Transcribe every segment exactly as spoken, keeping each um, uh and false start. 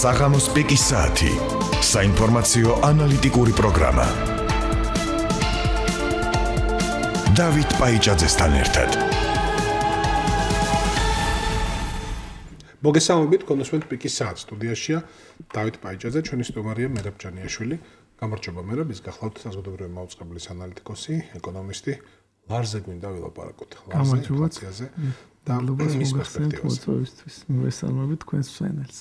საღამოს პიკის საათი. საინფორმაციო ანალიტიკური პროგრამა. დავით პაიჭაძესთან ერთად. მოგესალმებით, კონსულტ პიკის საათი სტუდიაშია დავით პაიჭაძე, ჩვენი სტუმარია მერაბ ჯანიაშვილი. გამარჯობა მერაბ, ის გახლავთ საზოგადოებრივი მაუწყებლის ანალიტიკოსი, ეკონომისტი. ლარზე გვინდა ვილაპარაკოთ. ლარზე ინფლაციაზე და მის პერსპექტივაზე. მოგესალმებით თქვენს მსმენელს.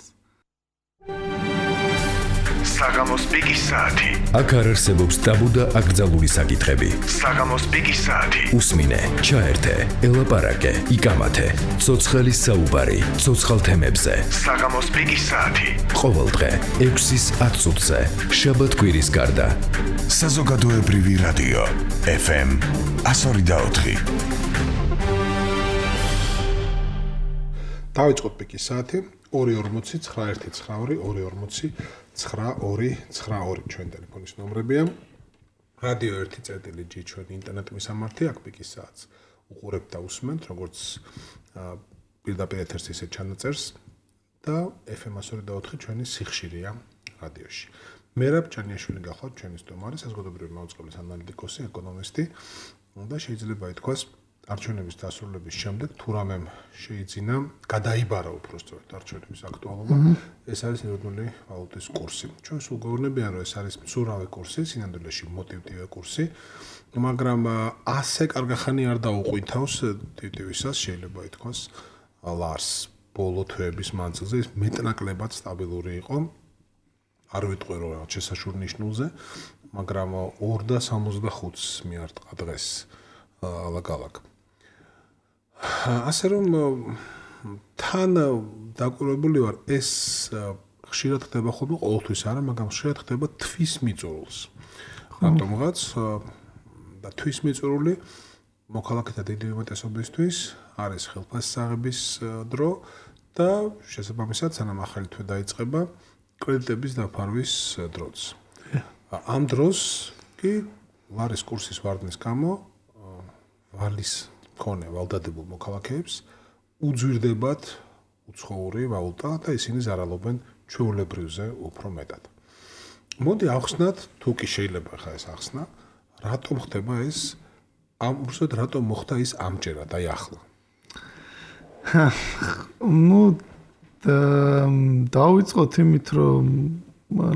საღამოს პიკის საათი. აქ არ არსებობს ტაბუ და აკრძალული საკითხები. საღამოს პიკის საათი. უსმინე, ჩაერთე, ელაპარაკე, იკამათე. ცოცხალის საუბარი, ცოცხალ თემებზე. საღამოს პიკის საათი. ყოველდღე ექვსის ათ წუთზე, შაბათ-კვირის გარდა. საზოგადოებრივი რადიო ეფ ემ εκατო ორი და ოთხი. დავიწყოთ პიკის საათი. ორი ორმოცი ცხრა ერთი ცხრა ორი ორი ორმოცი ცხრა ორი ცხრა ორი ჩვენ ტელეფონის ნომრებია. რადიო ერთი წერტილი ჯი ჩვენი ინტერნეტ მისამართი აქ პიკის საათს უყურებთ და უსმენთ როგორც პირდაპირ ეთერს ისე ჩანაწერს და ეფ ემ εκατო ორი და ოთხი ჩვენი სიხშირეა რადიოში. მერაბ ჯანიაშვილი გახლავთ ჩვენი სტუმარი, საზოგადოებრივი მაუწყებლის ანალიტიკოსი, ეკონომისტი და შეიძლება ითქვას არჩევნების დასრულების შემდეგ თუ რამემ შეიძინა გადაიბარა უბრალოდ არჩევნების აქტუალობა, ეს არის ეროვნული ვალუტის კურსი. ჩვენ სულ გვეუბნებიან, რომ ეს არის მცურავი კურსი, სინამდვილეში მოტივტივე კურსი, მაგრამ ასე კარგახანი არ დაუყვითავს ტივტივისას, შეიძლება ითქვას ლარს ბოლო თვეების მანძილზე ის მეტნაკლებად სტაბილური იყო. არ ვიტყვი რომ რაღაც შესაშურ ნიშნულზე, მაგრამ ორ და სამოცდახუთს მიარტყა დღეს ალაგ-ალაგ. ასე რომ თან დაკვირვებული ვარ, ეს ხშირად ხდება ხოლმე, ყოველთვის არა, მაგრამ ხშირად ხდება თვის მიწურულს. რატომღაც და თვის მიწურული მოქალაქეთა დიდი უმეტესობისთვის არის ხელფასისაღების დრო და შესაბამისად სანამ ახალი თვე დაიწყება კრედიტების დაფარვის დროც. ამ დროს კი ლარის კურსის ვარდნის გამო ვალის მქონე ვალდადებულ მოქალაქეებს უძვირდებათ უცხოური ვალუტა და ისინი ზარალობენ ჩვეულებრივზე უფრო მეტად. მოდი ახსნათ, თუ კი შეიძლება ხა ეს ახსნა, რატომ ხდება ეს, ამ უბრალოდ რატომ მოხდა ის ამჯერად, აი ახლა. ნუ დავიწყოთ იმით, რომ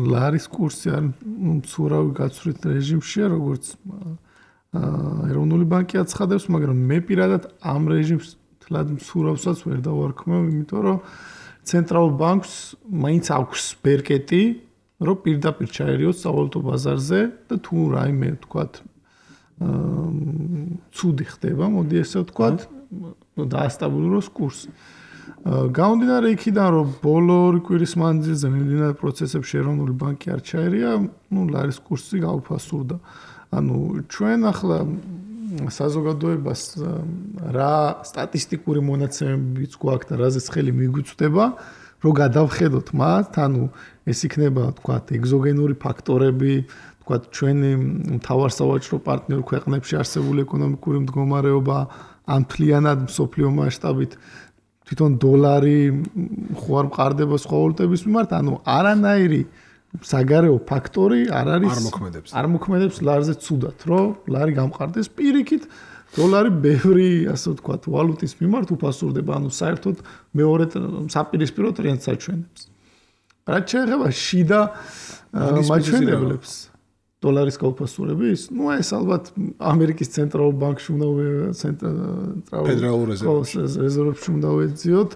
ლარის კურსი არ მცურავი გაცვლით რეჟიმშია, როგორც ეროვნული ბანკი აცხადებს, მაგრამ მე პირადად ამ რეჟიმს თლად მცურავსაც ვერ დავარქმევ, იმიტომ რომ ცენტრალურ ბანკს მაინც აქვს ბერკეტი, რომ პირდაპირ ჩაერიოს სავალუტო ბაზარზე და თუ რაიმე თქვათ ცუდი ხდება, მოდი ესე ვთქვათ, დაასტაბილუროს კურსი. გამომდინარე იქიდან, რომ ბოლო ორი კვირის მანძილზე მიმდინარე პროცესებში ეროვნული ბანკი არ ჩაერია, ნუ ლარის კურსი გაუფასურდა. ანუ ჩვენ ახლა საზოგადოებას რა სტატისტიკური მონაცემებიც გვაქვს და რაზეც ხელი მიგვიწვდება, რომ გადავხედოთ მათ, ანუ ეს იქნება, თქვათ, ეგზოგენური ფაქტორები, თქვათ, ჩვენი მთავარსავაჭრო პარტნიორ ქვეყნებში არსებული ეკონომიკური მდგომარეობა, ან მთლიანად მსოფლიო მასშტაბით თვითონ დოლარი ხო არ მყარდება სხვა ვალუტების მიმართ, ანუ არანაირი საგარეო ფაქტორი არ არის არ მოქმედებს. არ მოქმედებს ლარზე ცუდად, რომ ლარი გამყარდეს პირიქით, დოლარი ბევრი, ასე ვთქვათ, ვალუტის მიმართ უფასურდება, ანუ საერთოდ მეორე საპირისპირო ტრენდს აჩვენებს. რაც შეეხება შიდა მაჩვენებლებს დოლარის გაუფასურების, ნუ ეს ალბათ ამერიკის ცენტრალურ ბანკში უნდა ფედერალურ რეზერვებში უნდა ვეძიოთ.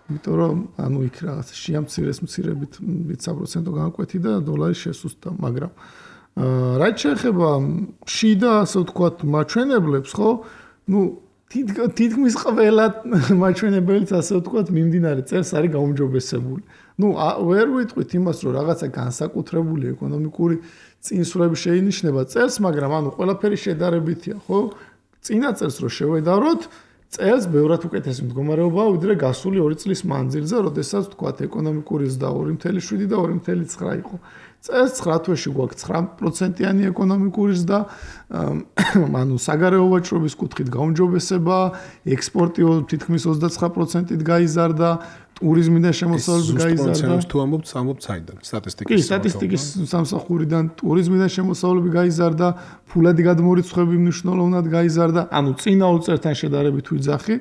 იმიტომ რომ ანუ იქ რაღაც შეამცირეს მცირებით ვიცი პროცენტო განკვეთი და დოლარი შესუსტდა, მაგრამ რაც შეეხება შიდა, ასე ვთქვათ, მაჩვენებლებს, ხო? ნუ თითქმის ყველა მაჩვენებელიც, ასე ვთქვათ, მიმდინარე წელს არის გაუმჯობესებული. ნუ ვერ ვიტყვით იმას, რომ რაღაცა განსაკუთრებული ეკონომიკური წინსვლები შეინიშნება წელს, მაგრამ ანუ ყველაფერი შედარებითია, ხო? წინა წელს რო შევედაროთ, წელს ბევრად უკეთესი მდგომარეობაა ვიდრე გასული ორი წლის მანძილზე, როდესაც თქვათ ეკონომიკური ზრდა ორი ათეული შვიდი და ორი ათეული ცხრა იყო. წელს ცხრა თვეში გვაქვს ცხრა პროცენტიანი ეკონომიკური ზრდა, ანუ საგარეო ვაჭრობის კუთხით გაუმჯობესება, ექსპორტი თითქმის ოცდაცხრა პროცენტით გაიზარდა, ტურიზმიდან შემოსავლები გაიზარდა. თუ ამბობთ, ამბობთ საიდან? სტატისტიკის. კი, სტატისტიკის სამსახურიდან ტურიზმიდან შემოსავლები გაიზარდა, ფულადი გადმორიცხვები მნიშვნელოვნად გაიზარდა, ანუ წინა ორი წელთან შედარებით ვიძახი.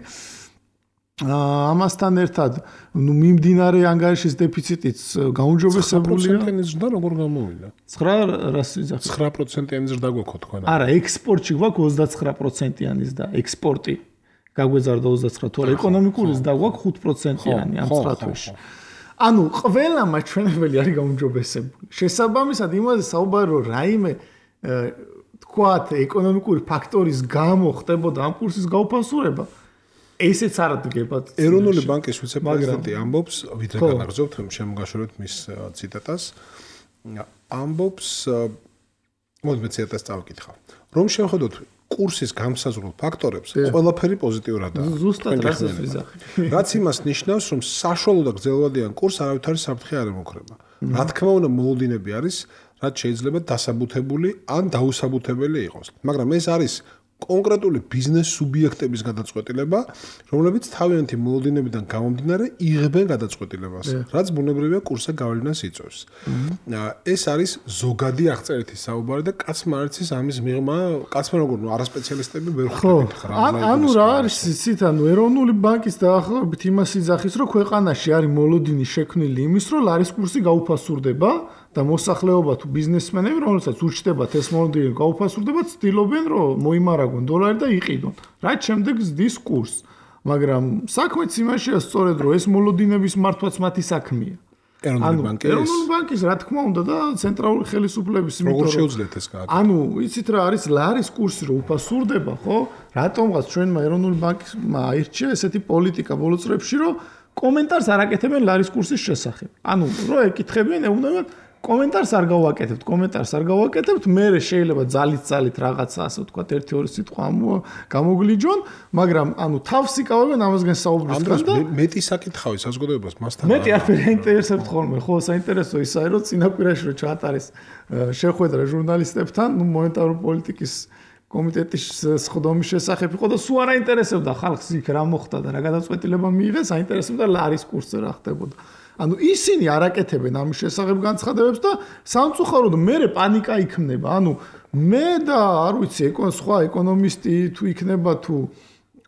ამასთან ერთად, ნუ მიმდინარე ანგარიშის დეფიციტიც გაუმჯობესებულია. ცხრა პროცენტიანი ზრდა როგორ გამოვიდა? ცხრა რას ვიძახი? ცხრა პროცენტიანი ზრდა გვაქვს თქვენ. არა, ექსპორტში გვაქვს ოცდაცხრა პროცენტიანი ზრდა, ექსპორტი გაგვეზარდა ოცდაცხრა, თორე ეკონომიკური ზრდა გვაქვს ხუთ პროცენტიანი ამ ცხრა თვეში. ანუ ყველა მაჩვენებელი არის გაუმჯობესებული. შესაბამისად იმაზე საუბარი რომ რაიმე თქვათ ეკონომიკური ფაქტორის გამო ხდებოდა ამ კურსის გაუფასურება ესეც არ დგებათ. ეროვნული ბანკის ვიცე-პრეზიდენტი ამბობს, ვიდრე განაგრძობთ შემოგაშორეთ მის ციტატას, ამბობს, მოდი მე ციტატას წავკითხავ, რომ შევხედოთ კურსის გამსაზღვრულ ფაქტორებს, ყველაფერი პოზიტიურადაა. ზუსტად რასაც ვიზახი. რაც იმას ნიშნავს, რომ საშუალო და გრძელვადიან კურსს არავითარი საფრთხე არ ემუქრება. რა თქმა უნდა, მოლოდინები არის, რაც შეიძლება დასაბუთებული ან დაუსაბუთებელი იყოს. მაგრამ ეს არის კონკრეტული ბიზნეს სუბიექტების გადაწყვეტილება, რომლებიც თავიანთი მოლოდინებიდან გამომდინარე იღებენ გადაწყვეტილებას, რაც ბუნებრივია კურსზე გავლენას იწვევს. ეს არის ზოგადი აღწერითი საუბარი და კაცმა არ იცის ამის მიღმა, კაცმა როგორ არასპეციალისტები ვერ ხვდებით ხარ. ანუ რა არის იცით, ანუ ეროვნული ბანკის დაახლოებით იმას იძახის, რომ ქვეყანაში არის მოლოდინი შექმნილი იმის, რომ ლარის კურსი გაუფასურდება. და მოსახლეობა თუ ბიზნესმენები, რომელსაც ურჩდებათ ეს მოლოდინი გაუფასურდება, ცდილობენ რომ მოიმარაგონ დოლარი და იყიდონ. რაც შემდეგ ზრდის კურსს. მაგრამ საქმეც იმაშია სწორედ რომ ეს მოლოდინების მართვაც მათი საქმეა. ეროვნული ბანკის ეროვნული ბანკის რა თქმა უნდა და ცენტრალური ხელისუფლების იმიტომ როგორ შეუძლიათ ეს გააკეთოს? ანუ იცით რა არის ლარის კურსი რომ უფასურდება, ხო? რატომღაც ჩვენმა ეროვნული ბანკმა აირჩია ესეთი პოლიტიკა ბოლო წლებში რომ კომენტარს არ აკეთებენ ლარის კურსის შესახებ. ანუ რო ეკითხებიან, ეუბნებიან კომენტარს არ გავაკეთებთ, კომენტარს არ გავაკეთებთ, მე შეიძლება ძალით ძალით რაღაცა ასე ვთქვათ, ერთი ორი სიტყვა გამოგლიჯონ, მაგრამ ანუ თავს იკავებენ ამასგან საუბრის გას და მეტი საკითხავი საზოგადოებას მასთან. მეტი არაფერი აინტერესებთ ხოლმე, ხო, საინტერესო ისაა, რომ წინაპირაში რო ჩაატარეს შეხვედრა ჟურნალისტებთან, ნუ მონეტარული პოლიტიკის კომიტეტის სხდომის შესახებ იყო და სულ არ აინტერესებდა ხალხს იქ რა მოხდა და რა გადაწყვეტილება მიიღეს, აინტერესებდა ლარის კურსზე რა ხდებოდა. ანუ ისინი არ აკეთებენ ამის შესახებ განცხადებებს და სამწუხაროდ მერე პანიკა იქმნება. ანუ მე და არ ვიცი, სხვა ეკონომისტი თუ იქნება თუ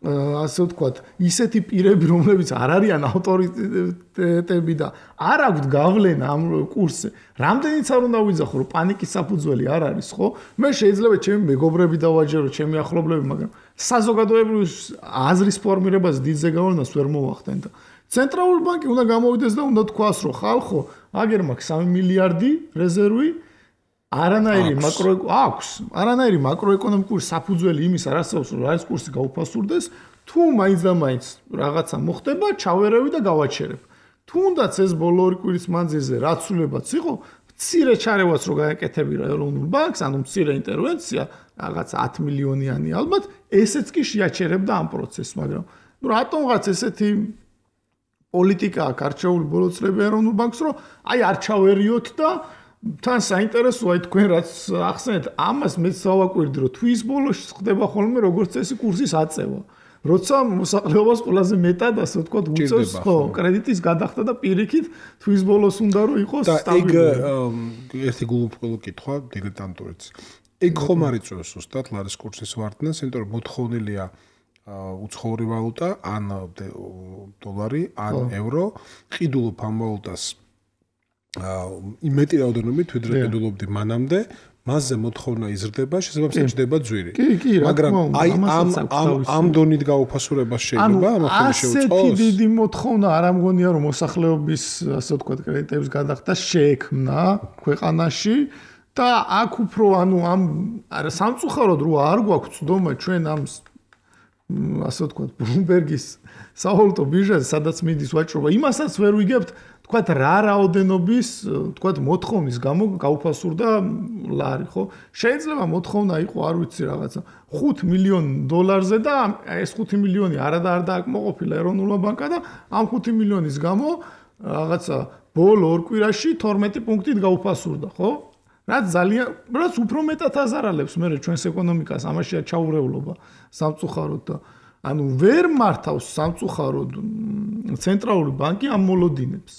ასე ვთქვათ, ისეთი პირები, რომლებიც არ არიან ავტორიტეტები და არ აქვთ გავლენა ამ კურსზე. რამდენიც არ უნდა ვიძახო, რომ პანიკის საფუძველი არ არის, ხო? მე შეიძლება ჩემი მეგობრები დავაჯერო, ჩემი ახლობლები, მაგრამ საზოგადოებრივი აზრის ფორმირებას დიდზე გავლენას ვერ მოვახდენ და ცენტრალური ბანკი უნდა გამოვიდეს და უნდა თქვას, რომ ხალხო, აგერ მაქვს სამი მილიარდი რეზერვი, არანაირი მაკრო აქვს, არანაირი მაკროეკონომიკური საფუძველი იმის არ არსებობს, რომ ლარის კურსი გაუფასურდეს, თუ მაინც და მაინც რაღაცა მოხდება, ჩავერევი და გავაჩერებ. თუნდაც ეს ბოლო ორი კვირის მანძილზე რაცულებაც იყო, მცირე ჩარევაც რო გააკეთები რა ეროვნულ ბანკს, ანუ მცირე ინტერვენცია, რაღაცა ათი მილიონიანი ალბათ, ესეც კი შეაჩერებდა ამ პროცესს, მაგრამ ნუ რატომღაც ესეთი პოლიტიკა აქვს არჩეული ბოლო წლები ეროვნულ ბანკს, რომ აი არ ჩავერიოთ და თან საინტერესოა თქვენ რაც ახსენეთ, ამას მეც დავაკვირდი, რომ თვის ბოლოში ხდება ხოლმე როგორც წესი კურსის აწევა. როცა მოსახლეობას ყველაზე მეტად ასე ვთქვათ უწევს ხო კრედიტის გადახდა და პირიქით თვის ბოლოს უნდა რომ იყოს სტაბილური. და ეგ ერთი გულუბრყვილო კითხვა დილეტანტურიც. ეგ ხომ არ იწევს ზუსტად ლარის კურსის ვარდნას, იმიტომ რომ მოთხოვნილია უცხოური ვალუტა, ან დოლარი, ან ევრო, ყიდულობ ამ ვალუტას იმეტი რაოდენობით ვიდრე ყიდულობდი მანამდე, მასზე მოთხოვნა იზრდება, შესაბამისად ჯდება ძვირი. მაგრამ აი ამ ამ ამ დონით გაუფასურებას შეიძლება ამ ახალი შეუწყოს. ასეთი დიდი მოთხოვნა არ ამგონია რომ მოსახლეობის ასე ვთქვათ კრედიტების გადახდა შეექმნა ქვეყანაში და აქ უფრო ანუ ამ სამწუხაროდ რო არ გვაქვს ცდომა ჩვენ ამ ასე ვთქვათ ბლუმბერგის სავალუტო ბირჟაზე სადაც მიდის ვაჭრობა იმასაც ვერ ვიგებთ თქვათ რა რაოდენობის თქვათ მოთხოვნის გამო გაუფასურდა ლარი ხო შეიძლება მოთხოვნა იყო არ ვიცი რაღაცა ხუთ მილიონ დოლარზე და ეს ხუთი მილიონი არა და არ დააკმაყოფილა ეროვნულმა ბანკმა და ამ ხუთი მილიონის გამო რაღაცა ბოლო ორ კვირაში თორმეტი პუნქტით გაუფასურდა ხო რაც ძალიან რაც უფრო მეტად აზარალებს მე ჩვენს ეკონომიკას ამაშია ჩაურევლობა სამწუხაროდ და ანუ ვერ მართავს სამწუხაროდ ცენტრალური ბანკი ამ მოლოდინებს.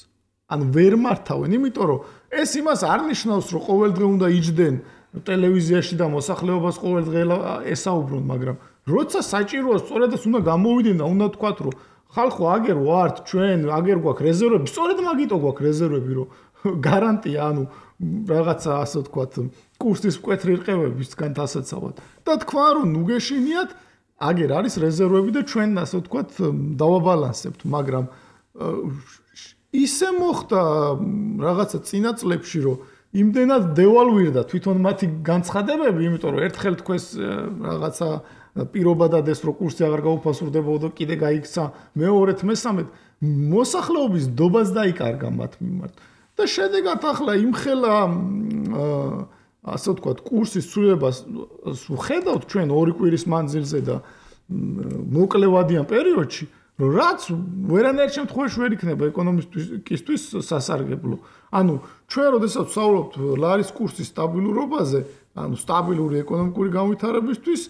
ანუ ვერ მართავენ, იმიტომ რომ ეს იმას არ ნიშნავს, რომ ყოველდღე უნდა იჯდნენ ტელევიზიაში და მოსახლეობას ყოველდღე ესაუბრონ, მაგრამ როცა საჭიროა, სწორედ ეს უნდა გამოვიდნენ და უნდა თქვათ, რომ ხალხო აგერ ვართ, ჩვენ აგერ გვაქვს რეზერვები, სწორედ მაგიტო გვაქვს რეზერვები, რომ გარანტია, ანუ რაღაცა ასე ვთქვათ, კურსის მკვეთრი რყევებისგან დასაცავად. და თქვა, რომ ნუ გეშინიათ, აგერ არის რეზერვები და ჩვენ ასე ვთქვათ, დავაბალანსებთ, მაგრამ ისე მოხდა რაღაცა წინა წლებში, რომ იმდენად დევალვირდა თვითონ მათი განცხადებები, იმიტომ რომ ერთხელ თქვენს რაღაცა პირობა დადეს, რომ კურსი აღარ გაუფასურდებოდა და კიდე გაიქცა მეორედ, მესამედ მოსახლეობის დობას დაიკარგა მათ მიმართ. და შედეგად ახლა იმხელა ასე ვთქვათ, კურსის ცვლილებას ვხედავთ ჩვენ ორი კვირის მანძილზე და მოკლევადიან პერიოდში, რომ რაც ვერანაირ შემთხვევაში ვერ იქნება ეკონომისტისთვის სასარგებლო. ანუ ჩვენ როდესაც ვსაუბრობთ ლარის კურსის სტაბილურობაზე, ანუ სტაბილური ეკონომიკური განვითარებისთვის,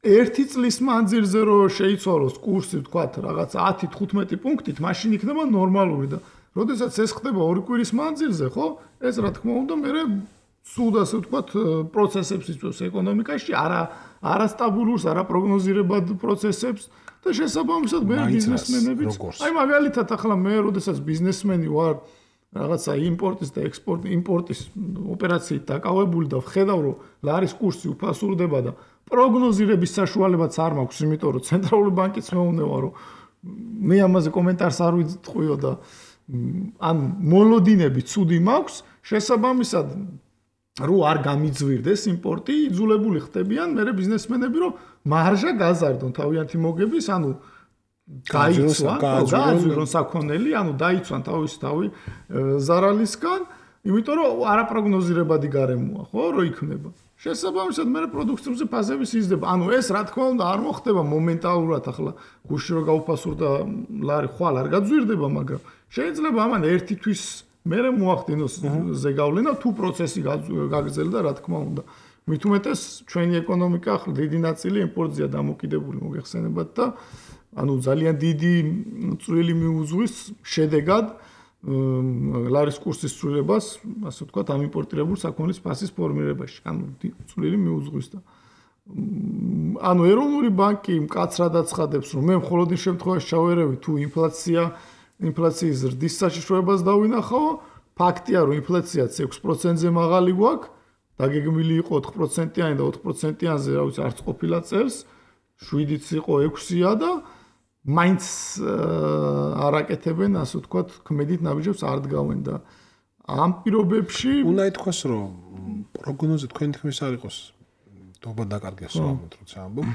ერთი წლის მანძილზე რომ შეიცვალოს კურსი, ვთქვათ, რაღაც ათი თხუთმეტი პუნქტით, მაშინ იქნება ნორმალური და როდესაც ეს ხდება ორი კვირის მანძილზე, ხო? ეს რა თქმა უნდა, მე სულ ასე ვთქვათ, პროცესებს იწვევს ეკონომიკაში, არა არასტაბილურს, არაპროგნოზირებად პროცესებს და შესაბამისად მე ბიზნესმენებიც, აი მაგალითად ახლა მე როდესაც ბიზნესმენი ვარ, რაღაცა იმპორტის და ექსპორტის, იმპორტის ოპერაციით დაკავებული და ვხედავ, რომ ლარის კურსი უფასურდება და პროგნოზირების საშუალებაც არ მაქვს, იმიტომ რომ ცენტრალური ბანკიც მეუბნება, რომ მე ამაზე კომენტარს არ ვიტყვიო და ან მოლოდინები ცუდი მაქვს, შესაბამისად რო არ გამიძვირდეს იმპორტი, იძულებული ხდებიან მე ბიზნესმენები, რომ მარჟა გაზარდონ თავიანთი მოგების, ანუ გაიცვან, გააზრონ საქონელი, ანუ დაიცვან თავის თავი ზარალისგან, იმიტომ რომ არაპროგნოზირებადი გარემოა, ხო, რო იქნება. შესაბამისად მე პროდუქციებზე ფაზები სიზდება. ანუ ეს რა თქმა უნდა არ მოხდება მომენტალურად, ახლა გუშინ რო გაუფასურდა ლარი, ხვალ არ გაძვირდება, მაგრამ შეიძლება ამან ერთი თვის მერე მოახდინოს ზეგავლენა თუ პროცესი გაგრძელდა, რა თქმა უნდა. მით უმეტეს ჩვენი ეკონომიკა ახლა დიდი ნაწილი იმპორტზეა დამოკიდებული, მოგეხსენებათ და ანუ ძალიან დიდი წვლილი მიუძღვის შედეგად ლარის კურსის ცვლილებას, ასე ვთქვათ, ამ იმპორტირებულ საქონლის ფასის ფორმირებაში. ანუ წვლილი მიუძღვის და ანუ ეროვნული ბანკი მკაცრად აცხადებს, რომ მე მხოლოდ იმ შემთხვევაში ჩავერევი თუ ინფლაცია ინფლაციის ზრდის საშიშროებას დავინახავ, ფაქტია, რომ ინფლაციაც ექვს პროცენტზე მაღალი გვაქვს, დაგეგმილი იყო ოთხ პროცენტიანი და ოთხ პროცენტიანზე, რა ვიცი, არც ყოფილა წელს, შვიდიც იყო ექვსია და მაინც არაკეთებენ, ასე ვთქვათ, ქმედით ნაბიჯებს არ დგავენ და ამ პირობებში უნდა ითქვას, რომ პროგნოზი თქვენი თქმის არ იყოს დობა დაკარგეს ამით, როცა ამბობ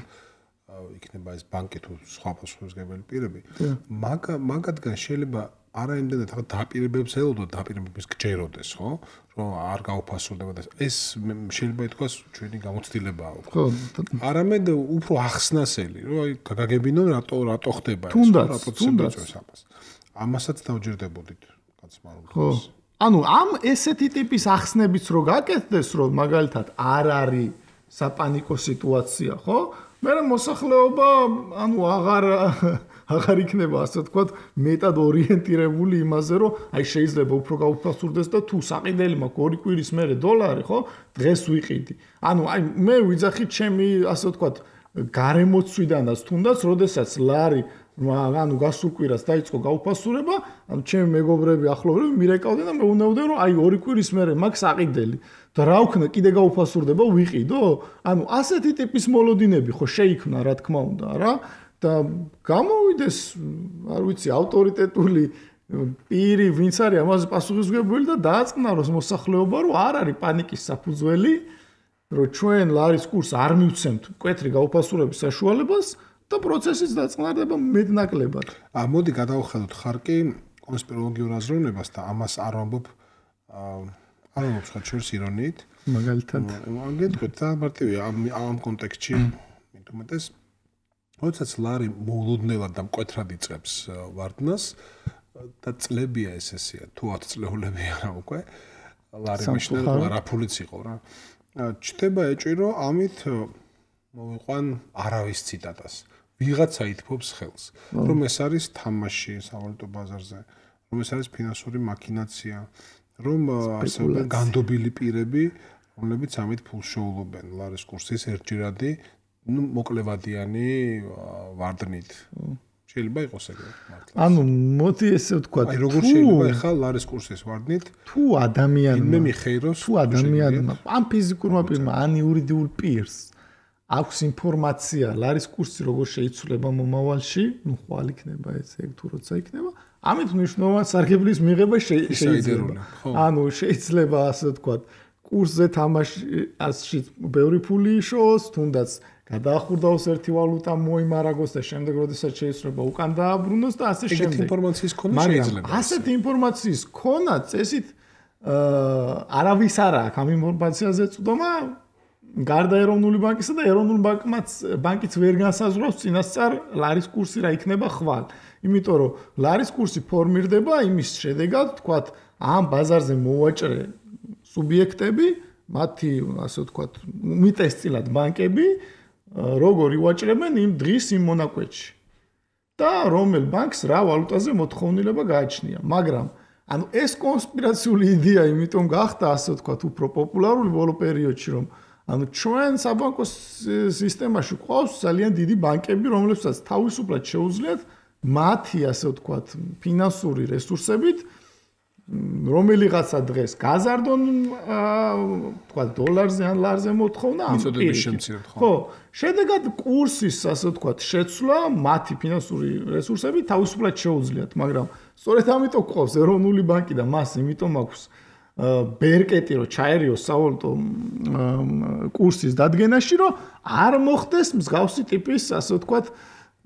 იქნება ეს ბანკი თუ სხვა პასუხისმგებელი პირები. მაგ მაგათგან შეიძლება არა იმდენად ახლა დაპირებებს ელოდოთ, დაპირებებს გჯეროდეს, ხო? რომ არ გაუფასურდება და ეს შეიძლება ითქვას ჩვენი გამოცდილებაა. ხო. არამედ უფრო ახსნასელი, რომ აი გაგაგებინონ რატო რატო ხდება ეს, რა პროცესია წევს ამას. ამასაც დავჯერდებოდით, კაცმარულს. ხო. ანუ ამ ესეთი ტიპის ახსნებიც რო გაკეთდეს, რომ მაგალითად არ არის საპანიკო სიტუაცია, ხო? მე მოსახლეობა, ანუ აღარ აღარ იქნება, ასე ვთქვათ, მეტად ორიენტირებული იმაზე, რომ აი შეიძლება უფრო გაუფასურდეს და თუ საყიდელი მაქვს ორი კვირის მერე დოლარი, ხო? დღეს ვიყიდი. ანუ აი მე ვიძახით ჩემი, ასე ვთქვათ, გარემოცვიდანაც თუნდაც, როდესაც ლარი ანუ გასულ კვირას დაიწყო გაუფასურება, ანუ ჩემი მეგობრები, ახლობლები მირეკავდნენ და მეუბნებოდნენ, რომ აი ორი კვირის მერე მაქვს საყიდელი. და რა ვქნა, კიდე გაუფასურდება, ვიყიდო? ანუ ასეთი ტიპის მოლოდინები ხო შეიქმნა, რა თქმა უნდა, რა? და გამოვიდეს, არ ვიცი, ავტორიტეტული პირი, ვინც არის ამაზე პასუხისმგებელი და დააწყნაროს მოსახლეობა, რომ არ არის პანიკის საფუძველი, რომ ჩვენ ლარის კურსს არ მივცემთ მკვეთრი გაუფასურების საშუალებას და პროცესიც დაწყნარდება მეტნაკლებად. ა მოდი გადავხედოთ ხარკი კონსპიროლოგიურ აზროვნებას და ამას არ ვამბობ არ ვამბობ სხვა შორს ირონიით. მაგალითად. გეტყვით და მარტივია ამ ამ კონტექსტში მით უმეტეს როდესაც ლარი მოულოდნელად და მკვეთრად იწყებს ვარდნას და წლებია ეს ესეა, თუ ათი წლეულები არა უკვე, ლარი მაშინ რა ფულიც იყო რა. ჩდება ეჭირო ამით მოვიყვან არავის ციტატას. ვიღაცა ითფობს ხელს, რომ ეს არის თამაში სავალუტო ბაზარზე, რომ ეს არის ფინანსური მაქინაცია, რომ ასევე განდობილი პირები, რომლებიც ამით ფულს შეულობენ ლარის კურსის ერთჯერადი, ну, მოკლევადიანი ვარდნით. შეიძლება იყოს ეგრე მართლა. ანუ მოდი ესე ვთქვა, აი როგორ შეიძლება ახლა ლარის კურსის ვარდნით თუ ადამიანმა მე მიხეიროს თუ ადამიანმა ამ ფიზიკურმა პირმა ან იურიდიულ პირს აქვს ინფორმაცია ლარის კურსი როგორ შეიცვლება მომავალში, ну ხვალ იქნება ეს ეგ თუ როცა იქნება, ამით მნიშვნელოვანი სარგებლის მიღება შეიძლება. ანუ შეიძლება ასე ვთქვათ, კურსზე თამაშში ბევრი ფული იშოს, თუნდაც გადაახურდაოს ერთი ვალუტა მოიმარაგოს და შემდეგ როდესაც შეიცვლება უკან დააბრუნოს და ასე შემდეგ. ეგეთი ინფორმაციის ქონა შეიძლება. ასეთი ინფორმაციის ქონა წესით არავის არ აქვს ამ ინფორმაციაზე წვდომა გარდა ეროვნული ბანკისა და ეროვნული ბანკიც ვერ განსაზღვრავს წინასწარ ლარის კურსი რა იქნება ხვალ. იმიტომ რომ ლარის კურსი ფორმირდება იმის შედეგად, თქვათ, ამ ბაზარზე მოვაჭრე სუბიექტები, მათი ასე ვთქვათ, უმეტესწილად ბანკები როგორ ივაჭრებენ იმ დღის იმ მონაკვეთში და რომელ ბანკს რა ვალუტაზე მოთხოვნილება გააჩნია. მაგრამ ანუ ეს კონსპირაციული იდეა იმიტომ გახდა ასე ვთქვათ უფრო პოპულარული ბოლო პერიოდში, რომ ანუ ჩვენ საბანკო სისტემაში ყავს ძალიან დიდი ბანკები, რომლებსაც თავისუფლად შეუძლიათ მათი ასე ვთქვათ ფინანსური რესურსებით რომელიღაცა დღეს გაზარდონ ვთქვათ დოლარზე ან ლარზე მოთხოვნა ამ მიწოდების შემცირება ხო? ხო, შედეგად კურსის ასე ვთქვათ შეცვლა მათი ფინანსური რესურსები თავისუფლად შეუძლიათ, მაგრამ სწორედ ამიტომ ყავს ეროვნული ბანკი და მას იმიტომ აქვს ბერკეტი რომ ჩაერიოს სავალუტო კურსის დადგენაში, რომ არ მოხდეს მსგავსი ტიპის ასე ვთქვათ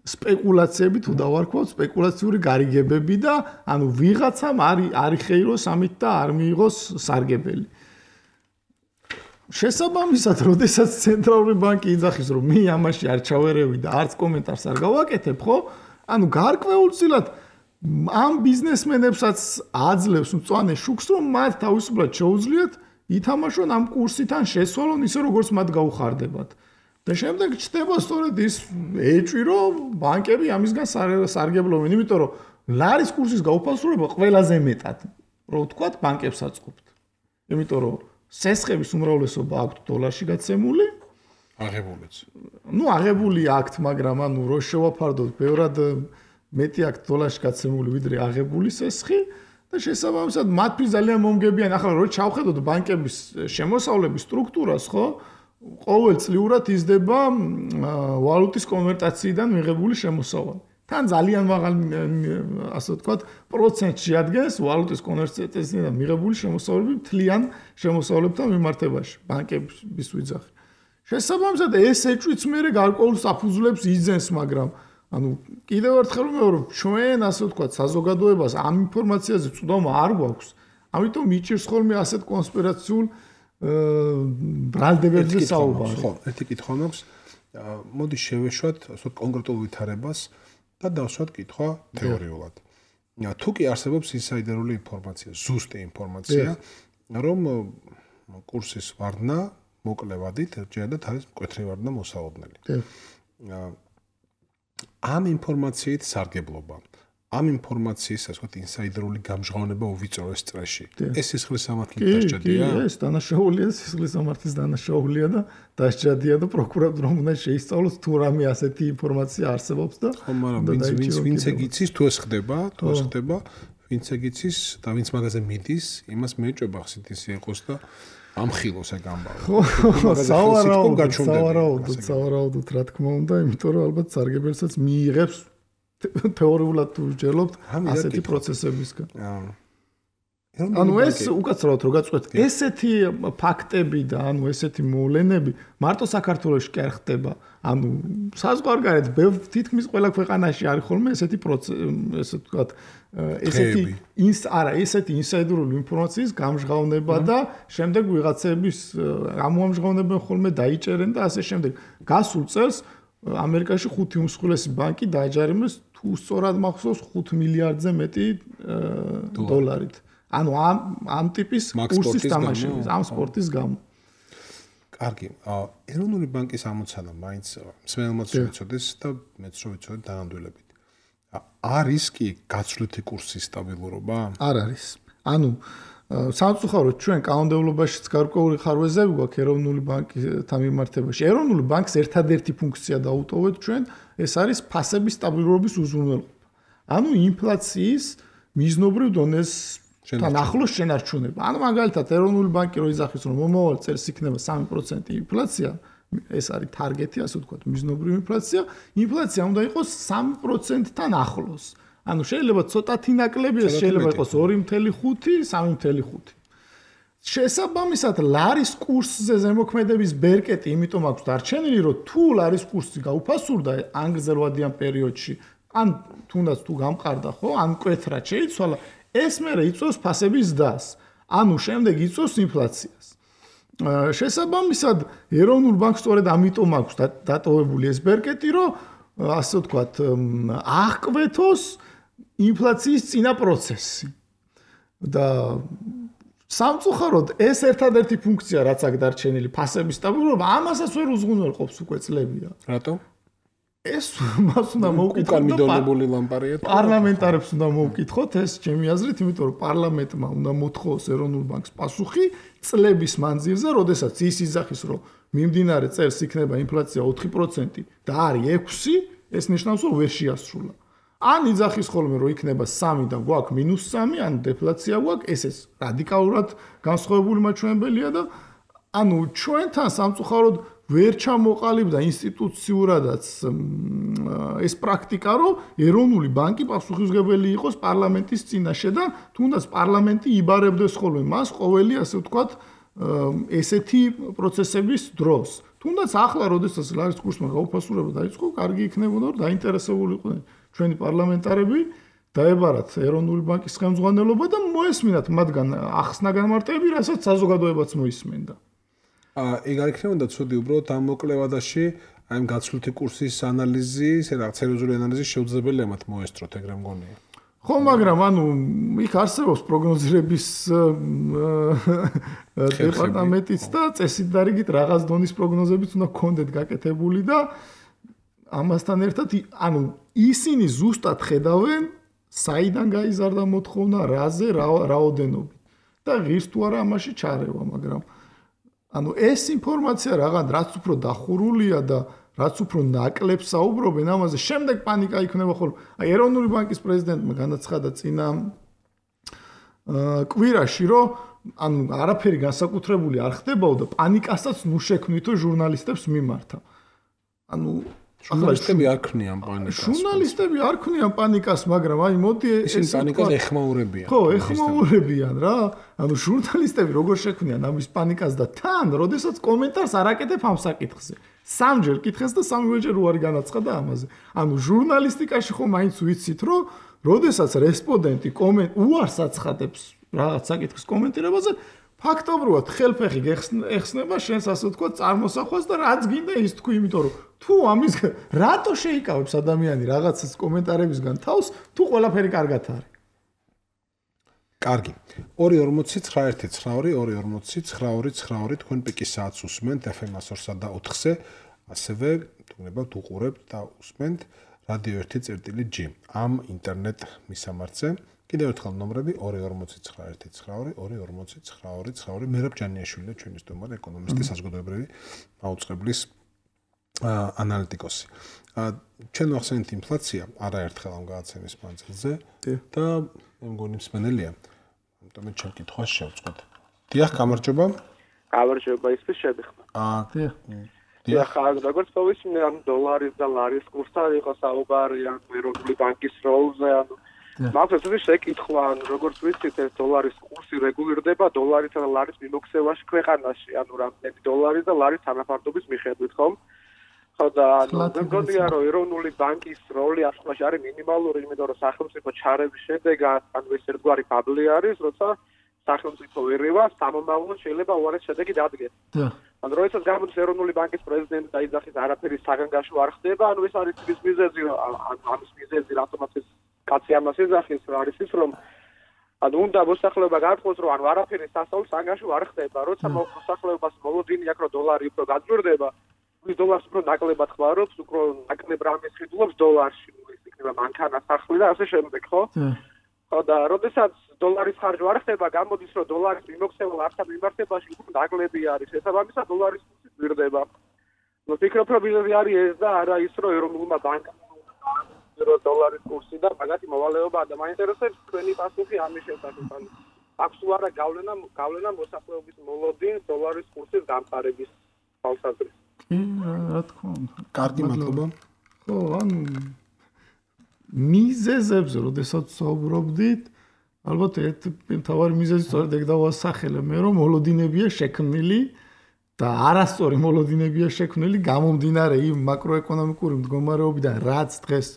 სპეკულაციები თუ დავარქვათ სპეკულაციური გარიგებები და ანუ ვიღაცამ არ იხეიროს ამით და არ მიიღოს სარგებელი. შესაბამისად, როდესაც ცენტრალური ბანკი იძახის, რომ მე ამაში არ ჩავერევი და არც კომენტარს არ გავაკეთებ, ხო? ანუ გარკვეულწილად ამ ბიზნესმენებსაც აძლევს მწვანე შუქს, რომ მათ თავისუფლად შეუძლიათ ითამაშონ ამ კურსიდან შესვალონ ისე როგორც მათ გაუხარდებათ. და შემდეგ ჩდება სწორედ ის ეჭვი, რომ ბანკები ამისგან სარგებლობენ, იმიტომ რომ ლარის კურსის გაუფასურება ყველაზე მეტად, რო ვთქვათ, ბანკებს აწყობთ. იმიტომ რომ სესხების უმრავლესობა აქვთ დოლარში გაცემული, აღებულიც. ну აღებული აქვთ, მაგრამ ანუ რო შევაფარდოთ, ბევრად მეტი აქვთ დოლარში გაცემული, ვიდრე აღებული სესხი და შესაბამისად მათთვის ძალიან მომგებიანი. ახლა რო ჩავხედოთ ბანკების შემოსავლების სტრუქტურას, ხო? ყოველწლიურად იზრდება ვალუტის კონვერტაციიდან მიღებული შემოსავალი. თან ძალიან მაღალ ასე ვთქვათ პროცენტში ადგენს ვალუტის კონვერტაციიდან მიღებული შემოსავლები მთლიან შემოსავლებთან მიმართებაში ბანკების ვიძახი. შესაბამისად ეს ეჭვიც მე გარკვეულ საფუძვლებს იძენს, მაგრამ ანუ კიდევ ერთხელ ვიმეორებ, ჩვენ ასე ვთქვათ საზოგადოებას ამ ინფორმაციაზე წვდომა არ გვაქვს. ამიტომ მიჭირს ხოლმე ასეთ კონსპირაციულ ბრალდებებზე საუბარი. ხო, ერთი კითხვა მაქვს. მოდი შევეშვათ ასე კონკრეტულ ვითარებას და დავსვათ კითხვა თეორიულად. თუ კი არსებობს ინსაიდერული ინფორმაცია, ზუსტი ინფორმაცია, რომ კურსის ვარდნა მოკლევადით ერთჯერადად არის მკვეთრი ვარდნა მოსაოდნელი. ამ ინფორმაციით სარგებლობა, ამ ინფორმაციის ასე ვთქვათ ინსაიდერული გამჟღავნება უვიწროს წრეში. ეს სისხლის სამართლის დასჯადია? კი, ეს დანაშაულია, სისხლის სამართლის დანაშაულია და დასჯადია და პროკურატურამ უნდა შეისწავლოს თუ რამე ასეთი ინფორმაცია არსებობს და ხო, მაგრამ ვინც ვინც ეგიცის თუ ეს ხდება, თუ ეს ხდება, ვინც ეგიცის და ვინც მაგაზე მიდის, იმას მეჭობა ხსით ისე იყოს და ამხილოს ეგ ამბავი. ხო, სავარაუდოდ, სავარაუდოდ, სავარაუდოდ რა თქმა უნდა, იმიტომ რომ ალბათ სარგებელსაც მიიღებს თეორიულად თუ ვჯერლობთ ასეთი პროცესებისგან. ანუ ეს უკაცრავად რო გაწყვეტ, ესეთი ფაქტები და ანუ ესეთი მოვლენები მარტო საქართველოში კი არ ხდება. ანუ საზღვარგარეთ თითქმის ყველა ქვეყანაში არის ხოლმე ესეთი ესე ვთქვათ, ესეთი ინს არა, ესეთი ინსაიდერული ინფორმაციის გამჟღავნება და შემდეგ ვიღაცების ამოამჟღავნებენ ხოლმე დაიჭერენ და ასე შემდეგ. გასულ წელს ამერიკაში ხუთი უმსხვილესი ბანკი დააჯარიმეს თუ სწორად მახსოვს ხუთ მილიარდზე მეტი დოლარით. ანუ ამ ამ ტიპის კურსის თამაშების, ამ სპორტის გამო. კარგი. ეროვნული ბანკის ამოცანა მაინც მსმენელმაც ვიცოდეს და მეც რო ვიცოდე დანამდვილებით. არის კი გაცვლითი კურსის სტაბილურობა? არ არის. ანუ სამწუხაროდ ჩვენ კანონმდებლობაშიც გარკვეული ხარვეზები გვაქვს ეროვნული ბანკთან მიმართებაში. ეროვნული ბანკს ერთადერთი ფუნქცია დაუტოვეთ ჩვენ, ეს არის ფასების სტაბილურობის უზრუნველყოფა. ანუ ინფლაციის მიზნობრივ დონეს თან ახლოს შენარჩუნება. ანუ მაგალითად ეროვნული ბანკი რო იძახის რომ მომავალ წელს იქნება სამი პროცენტი ინფლაცია, ეს არის ტარგეტი, ასე ვთქვათ, მიზნობრივი ინფლაცია, ინფლაცია უნდა იყოს სამი პროცენტთან ახლოს. ანუ შეიძლება ცოტათი ნაკლებია, შეიძლება იყოს ორი ფاصლე ხუთი, სამი ფაصლე ხუთი. შესაბამისად, ლარის კურსზე ზემოქმედების ბერკეტი, იმიტომ აქვს დარჩენილი, რომ თუ ლარის კურსი გაუფასურდა ან გრძელვადიან პერიოდში, ან თუნდაც თუ გამყარდა, ხო, ან მკვეთრად შეიცვალა, ეს მერე იწვევს ფასების ზრდას. ანუ შემდეგ იწვევს ინფლაციას. შესაბამისად, ეროვნულ ბანკს სწორედ ამიტომ აქვს დატოვებული ეს ბერკეტი, რომ ასე ვთქვათ, აღკვეთოს ინფლაციის წინა პროცესი. და სამწუხაროდ ეს ერთადერთი ფუნქცია, რაც აქვს დარჩენილი, ფასების სტაბილურობა, ამასაც ვერ უზრუნველყოფს უკვე წლებია. რატო? ეს მას უნდა მოვკითხოთ მიდონებული ლამპარია. პარლამენტარებს უნდა მოვკითხოთ ეს ჩემი აზრით, იმიტომ რომ პარლამენტმა უნდა მოთხოვოს ეროვნულ ბანკს პასუხი წლების მანძილზე, როდესაც ის იძახის, რომ მიმდინარე წელს იქნება ინფლაცია ოთხი პროცენტი და არის ექვსი, ეს ნიშნავს, რომ ვერ შეასრულა. ან იძახის ხოლმე, რომ იქნება სამი და გვაქვს მინუს სამი, ან დეფლაცია გვაქვს, ესეც რადიკალურად განსხვავებული მაჩვენებელია და ანუ ჩვენთან სამწუხაროდ ვერ ჩამოყალიბდა ინსტიტუციურადაც ეს პრაქტიკა, რომ ეროვნული ბანკი პასუხისმგებელი იყოს პარლამენტის წინაშე და თუნდაც პარლამენტი იბარებდეს ხოლმე მას ყოველი, ასე ვთქვათ, ესეთი პროცესების დროს. თუნდაც ახლა, როდესაც ლარის კურსმა გაუფასურება დაიწყო, კარგი იქნებოდა, რომ დაინტერესებული იყვნენ ჩვენი პარლამენტარები დაებარათ ეროვნული ბანკის ხელმძღვანელობა და მოესმინათ მათგან ახსნა განმარტებები, რასაც საზოგადოებაც მოისმენდა. ეგ არ იქნებოდა ცუდი უბრალოდ ამ მოკლევადაში აი ამ გაცვლითი კურსის ანალიზი, რაღაც სერიოზული ანალიზი შეუძლებელია მათ მოესწროთ, ეგრე მგონია. ხო, მაგრამ ანუ იქ არსებობს პროგნოზირების დეპარტამენტიც და წესით დარიგით რაღაც დონის პროგნოზებიც უნდა გქონდეთ გაკეთებული და ამასთან ერთად ანუ ისინი ზუსტად ხედავენ საიდან გაიზარდა მოთხოვნა, რაზე, რაოდენობით და ღირს თუ არა ამაში ჩარევა, მაგრამ ანუ ეს ინფორმაცია რაღაც რაც უფრო დახურულია და რაც უფრო ნაკლებს საუბრობენ ამაზე, შემდეგ პანიკა იქნება ხოლმე. აი ეროვნული ბანკის პრეზიდენტმა განაცხადა წინა კვირაში, რომ ანუ არაფერი განსაკუთრებული არ ხდებაო და პანიკასაც ნუ შექმნითო ჟურნალისტებს მიმართა. ანუ ჟურნალისტები არ ქმნიან პანიკას. ჟურნალისტები არ ქმნიან პანიკას, მაგრამ აი მოდი ეს პანიკას ეხმაურებიან. ხო, ეხმაურებიან რა. ანუ ჟურნალისტები როგორ შექმნიან ამის პანიკას და თან, როდესაც კომენტარს არ აკეთებ ამ საკითხზე. სამჯერ კითხეს და სამივეჯერ უარი განაცხადა ამაზე. ანუ ჟურნალისტიკაში ხო მაინც ვიცით, რომ როდესაც რესპონდენტი კომენტ უარს აცხადებს რაღაც საკითხის კომენტირებაზე, ფაქტობრივად ხელფეხი ეხსნება შენს ასე ვთქვათ წარმოსახვას და რაც გინდა ის თქვი, იმიტომ რომ თუ ამის რატო შეიკავებს ადამიანი რაღაცას კომენტარებისგან თავს, თუ ყველაფერი კარგად არის. კარგი. ორი ორმოცი ცხრა ერთი ცხრა ორი ორი ორმოცი ცხრა ორი ცხრა ორი თქვენ პიკის საათს უსმენთ ეფ ემ ორსა და ოთხზე, ასევე თუნებავთ უყურებთ და უსმენთ რადიო ერთი წერტილი ჯი ამ ინტერნეტ მისამართზე. კიდევ ერთხელ ნომრები ორი ორმოცი ცხრა ერთი ცხრა ორი ორი ორმოცი ცხრა ორი ცხრა ორი მერაბ ჯანიაშვილი ჩვენი სტუმარი, ეკონომისტი, საზოგადოებრივი მაუწყებლის ანალიტიკოსი. ჩვენ ვახსენეთ ინფლაცია არაერთხელ ამ გადაცემის მანძილზე და მე მგონი მსმენელია. ამიტომ ჩვენ კითხვას შევწყვეტ. დიახ, გამარჯობა. გამარჯობა, ისე შედიხმა. აა, დიახ. დიახ, როგორც povitsne, ან დოლარის და ლარის კურსთან იყო საუბარი, ან ეროვნული ბანკის როლზე, ანუ მაგას ეს შეკითხვა, ანუ როგორც ვიცით, ეს დოლარის კურსი რეგულირდება დოლარისა და ლარის მიმოქცევაში ქვეყანაში, ანუ რამდენი დოლარის და ლარის თანაფარდობის მიხედვით, ხომ? ხო და ანუ მე მგონია, რომ ეროვნული ბანკის როლი ასხლაში არის მინიმალური, იმიტომ რომ სახელმწიფო ჩარევის შედეგად, ანუ ეს ერთგვარი ბაბლი არის, როცა სახელმწიფო ვერევა სამომავლოდ შეიძლება უარეს შედეგი დადგეს. და ანუ როდესაც გამოდის ეროვნული ბანკის პრეზიდენტი და იძახის არაფერი საგანგაშო არ ხდება, ანუ ეს არის ის მიზეზი, ანუ ამის მიზეზი რატომაც ეს კაცი ამას ეძახის, არის ის, რომ ანუ უნდა მოსახლეობა გაარკვევს, რომ ანუ არაფერი სასწაულს ანგარიში არ ხდება, როცა მოსახლეობას მოლოდინი აქვს, რომ დოლარი უფრო გაძვირდება, ის დოლარს უფრო ნაკლებად ხმარობს, უფრო ნაკლებ რამეს ხიდულობს დოლარში, ის იქნება მანქანა, სახლი და ასე შემდეგ, ხო? ხო და როდესაც დოლარის ხარჯი არ ხდება, გამოდის, რომ დოლარის მიმოქცევა არცად მიმართებაში უფრო ნაკლები არის, შესაბამისად დოლარის კურსი ძვირდება. ნუ ფიქრობ, რომ მიზეზი არის ეს და არა ის, რომ ეროვნულმა ბანკმა დოლარის კურსი და მაგათი მოვალეობა და მაინტერესებს თქვენი პასუხი ამის შესახებ. აქვს თუ არა გავლენა გავლენა მოსახლეობის მოლოდინს დოლარის კურსის დამყარების თვალსაზრისით. კი, რა თქმა უნდა. კარგი მადლობა. ხო, ანუ მიზეზებზე, როდესაც საუბრობდით, ალბათ ერთ მთავარი მიზეზი სწორედ ეგ დავასახელე მე, რომ მოლოდინებია შექმნილი და არასწორი მოლოდინებია შექმნილი გამომდინარე იმ მაკროეკონომიკური მდგომარეობიდან, რაც დღეს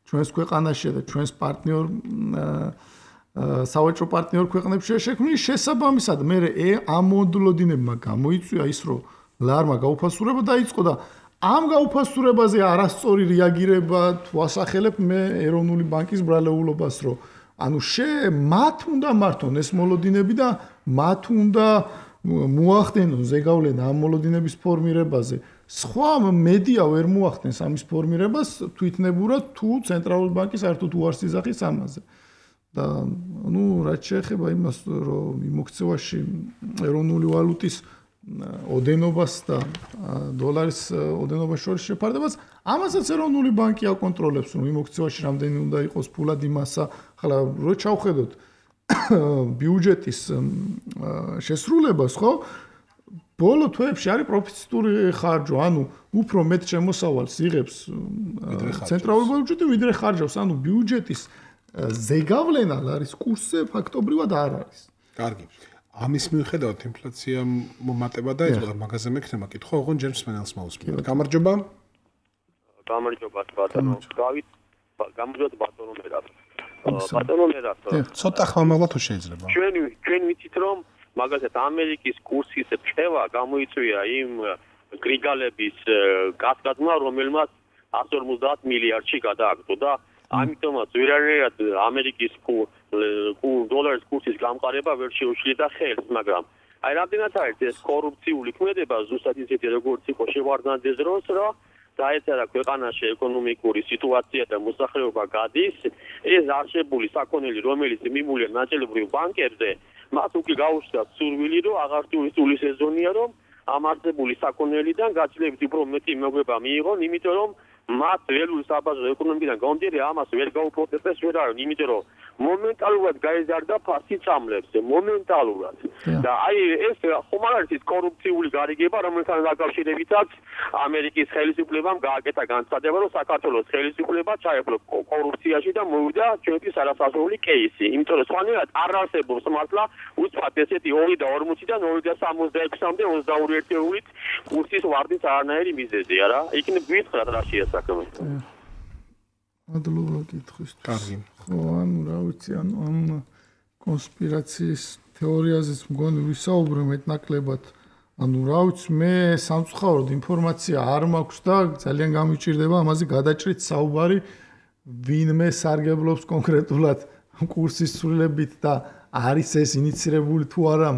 ჩვენს ქვეყანაში და ჩვენს პარტნიორ სავაჭრო პარტნიორ ქვეყნებშია შექმნილი, შესაბამისად მე ამ მოლოდინებმა გამოიწვია ის, რომ ლარმა გაუფასურება დაიწყო და ამ გაუფასურებაზე არასწორი რეაგირება თუ ასახელებ მე ეროვნული ბანკის ბრალეულობას, რომ ანუ შე მათ უნდა მართონ ეს მოლოდინები და მათ უნდა მოახდენონ ზეგავლენა ამ მოლოდინების ფორმირებაზე. სხვა მედია ვერ მოახდენს ამის ფორმირებას თვითნებურად თუ ცენტრალური ბანკი საერთოდ უარს იზახის ამაზე. და ნუ რაც შეეხება იმას, რომ მიმოქცევაში ეროვნული ვალუტის ოდენობას და დოლარის ოდენობას შორის შეფარდებას, ამასაც ეროვნული ბანკი აკონტროლებს, რომ მიმოქცევაში რამდენი უნდა იყოს ფულადი მასა. ხლა რო ჩავხედოთ ბიუჯეტის შესრულებას, ხო? ბოლო თვეებში არის პროფიციტური ხარჯვა, ანუ უფრო მეტ შემოსავალს იღებს ცენტრალური ბიუჯეტი, ვიდრე ხარჯავს, ანუ ბიუჯეტის ზეგავლენა ლარის კურსზე ფაქტობრივად არ არის. კარგი. ამის მიუხედავად ინფლაცია მომატება დაიწყო და მაგაზე მექნება კითხვა, ოღონდ ჯერ მსმენელს მოусმინოთ. გამარჯობა. გამარჯობა ბატონო. დავით გამარჯობა ბატონო მერაბ. ბატონო მერაბ. ცოტა ხმამაღლა თუ შეიძლება. ჩვენ ჩვენ ვიცით რომ მაგალითად ამერიკის კურსის ფევა გამოიწვია იმ გრიგალების გასგაზმა, რომელმაც εκατს ორმოცდაათ მილიარდში გადააგდო და ამიტომაც ვერარად ამერიკის დოლარის კურსის გამყარება ვერ შეუშლიდა ხელს, მაგრამ აი რამდენად არის ეს კორუფციული ქმედება ზუსტად ისეთი როგორც იყო შევარდნაძეს დროს, რომ დაეწერა ქვეყანაში ეკონომიკური სიტუაცია და მოსახლეობა გადის, ეს არჩეული საქონელი, რომელიც მიმულია ნაწილობრივ ბანკებზე, მათ უკვე გაუჩნდათ სურვილი, რომ აღարտული სეზონია, რომ ამ არსებული საქონელიდან გაცილებით უფრო მეტი მოგება მიიღონ, იმიტომ რომ მათ ველური საბაზრო ეკონომიკიდან გამომდინარე ამას ვერ გაუპროტესტეს ვერ არის, იმიტომ რომ მომენტალურად გაიზარდა ფასი წამლებს, მომენტალურად. და აი ეს ხომ არ არის ის კორუფციული გარიგება, რომელთან დაკავშირებითაც ამერიკის ხელისუფლებამ გააკეთა განცხადება, რომ საქართველოს ხელისუფლება ჩაეფლო კორუფციაში და მოვიდა ჩვენთვის არასასრული კეისი. იმიტომ რომ სხვანაირად არ არსებობს მართლა უცბად ესეთი ორი და ორმოციდან ორი და სამოცდაექვსამდე ოცდაორი ერთეულით კურსის ვარდის არანაირი მიზეზია რა. იქნებ გითხრათ რა შეასაქმე. მადლობა კითხვისთვის. კარგი. ხო, ანუ რა ვიცი, ანუ ამ კონსპირაციის თეორიაზეც მგონი ვისაუბრე მეტნაკლებად. ანუ რა ვიცი, მე სამწუხაროდ ინფორმაცია არ მაქვს და ძალიან გამიჭირდება ამაზე გადაჭრით საუბარი, ვინმე სარგებლობს კონკრეტულად კურსის ცვლილებით და არის ეს ინიცირებული თუ არა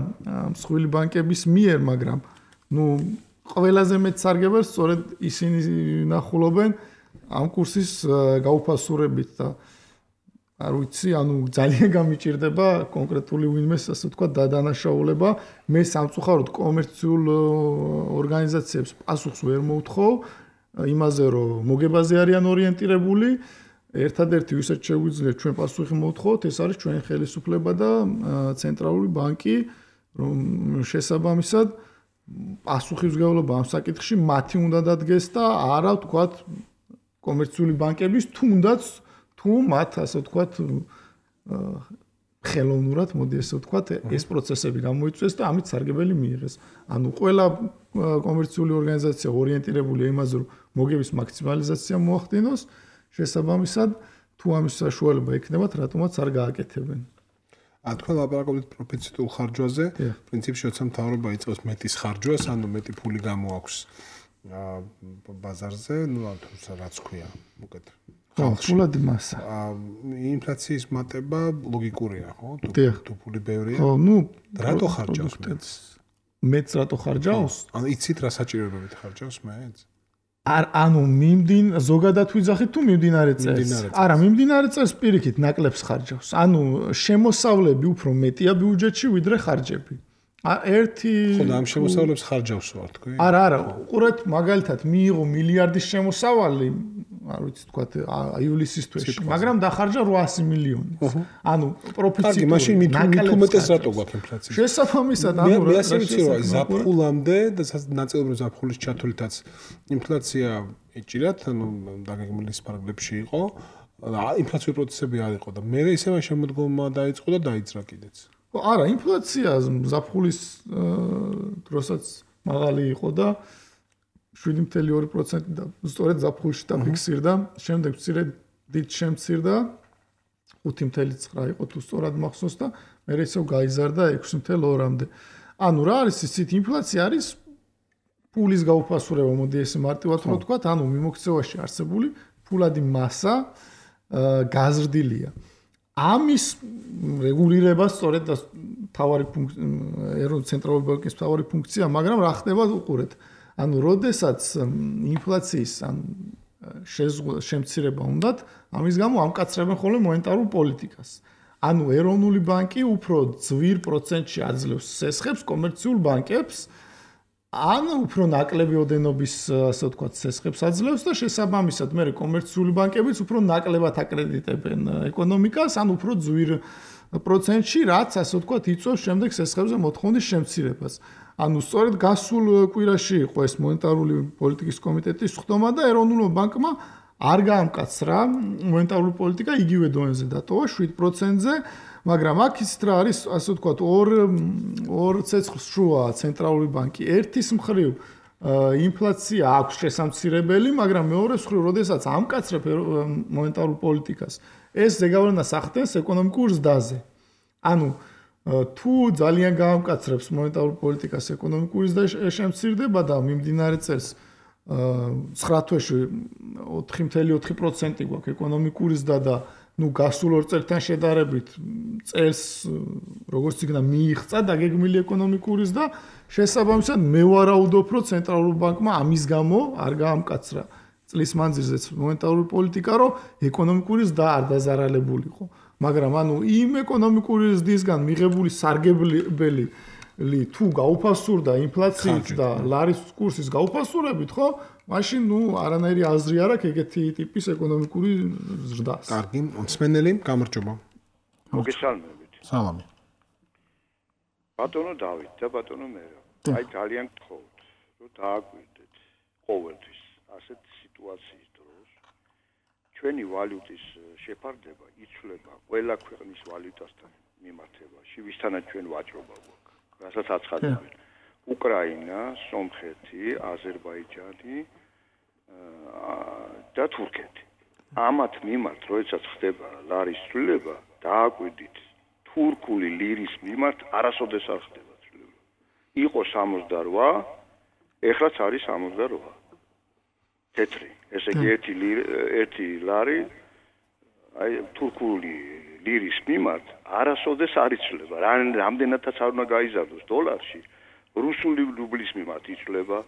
მსხვილი ბანკების მიერ, მაგრამ ნუ ყველაზე მეტ სარგებელს სწორედ ისინი ნახულობენ ამ კურსის გაუფასურებით და არ ვიცი, ანუ ძალიან გამიჭირდება კონკრეტული ვინმეს, ასე ვთქვათ, დადანაშაულება. მე სამწუხაროდ კომერციულ ორგანიზაციებს პასუხს ვერ მოვთხოვ იმაზე, რომ მოგებაზე არიან ორიენტირებული. ერთადერთი ვისაც შეგვიძლია ჩვენ პასუხი მოვთხოვოთ, ეს არის ჩვენი ხელისუფლება და ცენტრალური ბანკი, რომ შესაბამისად პასუხისმგებლობა ამ საკითხში მათი უნდა დადგეს და არა ვთქვათ კომერციული ბანკების თუნდაც თუ მათ ასე ვთქვათ ხელოვნურად მოდი ასე ვთქვათ ეს პროცესები გამოიწვიეს და ამით სარგებელი მიიღეს. ანუ ყველა კომერციული ორგანიზაცია ორიენტირებულია იმაზე, რომ მოგების მაქსიმალიზაცია მოახდინოს, შესაბამისად თუ ამის საშუალება ექნებათ, რატომაც არ გააკეთებენ. ა თქვენ ლაპარაკობთ პროფიციტულ ხარჯვაზე, პრინციპში როცა მთავრობა იწყებს მეტის ხარჯვას, ანუ მეტი ფული გამოაქვს ბაზარზე, ну, თუმცა რაც ქვია, უკეთ ფულადი მასა. ინფლაციის მატება ლოგიკურია, ხო? თუ ფული ბევრია. ხო, ნუ რატო ხარჯავს მეც? მეც რატო ხარჯავს? ანუ იცით რა საჭიროებებით ხარჯავს მეც? არ ანუ მიმდინ ზოგადად ვიძახით თუ მიმდინარე წელს? არა, მიმდინარე წელს პირიქით ნაკლებს ხარჯავს. ანუ შემოსავლები უფრო მეტია ბიუჯეტში ვიდრე ხარჯები. ერთი ხო და ამ შემოსავლებს ხარჯავს ვარ თქვი? არა, არა, უყურეთ მაგალითად მიიღო მილიარდის შემოსავალი, არ ვიცი თქვა ივლისის თვეში, მაგრამ დახარჯა ოთხასი მილიონი. ანუ პროფიციტი. კარგი, მაშინ მithumetes რატო გვაქვს ინფლაცია? შესაბამისად, ანუ მე ასე ვიცი რომ ზაფხულამდე და ნაწილობრივ ზაფხულის ჩათვლითაც ინფლაცია ეჭირათ, ანუ დაგეგმილის პარაგლებში იყო, ინფლაციური პროცესები არ იყო და მე ისევე შემოდგომა დაიწყო და დაიძრა კიდეც. არა, ინფლაცია ზაფხულის დროსაც მაღალი იყო და შვიდი ფاصლე ორი პროცენტი და სწორედ ზაფხულში დაფიქსირდა, შემდეგ მცირედ დიდ შემცირდა ხუთი ფاصლე ცხრა იყო თუ სწორად მახსოვს და მე ისევ გაიზარდა ექვსი ფاصლე ორამდე. ანუ რა არის იცით ინფლაცია არის ფულის გაუფასურება, მოდი ესე მარტივად რო ვთქვა, ანუ მიმოქცევაში არსებული ფულადი მასა გაზრდილია. ამის რეგულირება სწორედ და თავარი ეროვნული ცენტრალური ბანკის თავარი ფუნქცია, მაგრამ რა ხდება უყურეთ. ანუ როდესაც ინფლაციის ან შემცირება უნდათ, ამის გამო ამკაცრებენ ხოლმე მონეტარულ პოლიტიკას. ანუ ეროვნული ბანკი უფრო ძვირ პროცენტში აძლევს სესხებს კომერციულ ბანკებს, ან უფრო ნაკლები ოდენობის, ასე ვთქვათ, სესხებს აძლევს და შესაბამისად მე კომერციული ბანკებიც უფრო ნაკლებად აკრედიტებენ ეკონომიკას, ან უფრო ძვირ პროცენტში, რაც ასე ვთქვათ, იწვევს შემდეგ სესხებზე მოთხოვნის შემცირებას. ანუ სწორედ გასულ კვირაში იყო ეს მონეტარული პოლიტიკის კომიტეტის ხდომა და ეროვნულმა ბანკმა არ გაამკაცრა მონეტარული პოლიტიკა იგივე დონეზე დატოვა შვიდ პროცენტზე, მაგრამ აქ ის რა არის, ასე ვთქვათ, ორ ორ ცეცხლს შუა ცენტრალური ბანკი. ერთის მხრივ ინფლაცია აქვს შესამცირებელი, მაგრამ მეორეს მხრივ, როდესაც ამკაცრებ მონეტარულ პოლიტიკას, ეს ზეგავლენას ახდენს ეკონომიკურ ზრდაზე. ანუ თუ ძალიან გაამკაცრებს მონეტარულ პოლიტიკას ეკონომიკური ზრდა შემცირდება და მიმდინარე წელს ცხრა თვეში ოთხი ფاصლე ოთხი პროცენტი გვაქვს ეკონომიკური ზრდა და ნუ გასულ ორ წელთან შედარებით წელს როგორც იქნა მიიღწა დაგეგმილი ეკონომიკური ზრდა, შესაბამისად მე ვარაუდობ, რომ ცენტრალურ ბანკმა ამის გამო არ გაამკაცრა წლის მანძილზეც მონეტარული პოლიტიკა, რომ ეკონომიკური ზრდა არ დაზარალებულიყო. მაგრამ ანუ იმ ეკონომიკური ზრდისგან მიღებული სარგებლელი თუ გაუფასურდა ინფლაციით და ლარის კურსის გაუფასურებით, ხო? მაშინ ნუ არანაირი აზრი არ აქვს ეგეთი ტიპის ეკონომიკური ზრდას. კარგი, მსმენელი, გამარჯობა. მოგესალმებით. სალამი. ბატონო დავით და ბატონო მერე. აი ძალიან გთხოვთ, რომ დააკვირდეთ ყოველთვის ასეთ სიტუაციის დროს ჩვენი ვალუტის შეფარდება იცვლება ყველა ქვეყნის ვალუტასთან მიმართებაში, ვისთანაც ჩვენ ვაჭრობა გვაქვს. რასაც აცხადებენ. უკრაინა, სომხეთი, აზერბაიჯანი და თურქეთი. ამათ მიმართ, როდესაც ხდება ლარის ცვლილება, დააკვირდით, თურქული ლირის მიმართ არასოდეს არ ხდება ცვლილება. იყო სამოცდარვა, ეხლაც არის სამოცდარვა. თეთრი. ესე იგი ერთი ერთი ლარი აი თურქული ლირის მიმართ არასოდეს არ იცვლება. რამდენადაც არ უნდა გაიზარდოს დოლარში, რუსული რუბლის მიმართ იცვლება,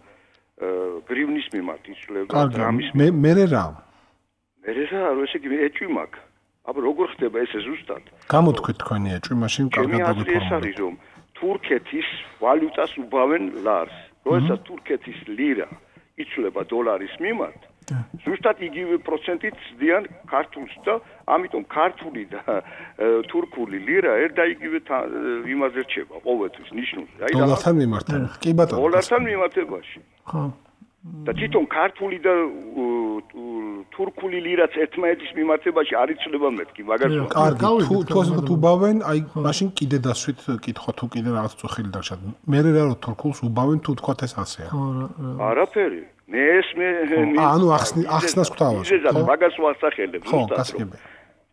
გრივნის მიმართ იცვლება, დრამის მე მე რა? მე რა, ესე იგი ეჭვი მაქვს. აბა როგორ ხდება ესე ზუსტად? გამოთქვით თქვენი ეჭვი, მაშინ კარგად დაგიფორმოთ. ეს არის რომ თურქეთის ვალუტას უბავენ ლარს. როდესაც თურქეთის ლირა იცვლება დოლარის მიმართ, ზუსტად იგივე პროცენტით ზდიან ქართულს და ამიტომ ქართული და თურქული ლირა ერთ და იგივე იმაზე რჩება ყოველთვის ნიშნულზე. აი დოლართან მიმართება. კი ბატონო. დოლართან მიმართებაში. ხო. და თვითონ ქართული და თურქული ლირაც ერთმანეთის მიმართებაში არ იცვლება მეთქი, მაგას კარგი, თუ თუ თუ უბავენ, აი მაშინ კიდე დასვით კითხო თუ კიდე რაღაც წუხილი დარჩათ. მე რა რომ თურქულს უბავენ თუ თქვათ ეს ასეა. არაფერი. მე ეს მე ანუ ახსნი ახსნას გვთავაზ. ხო, მაგას ვასახელებ ზუსტად. ხო, გასაგებია.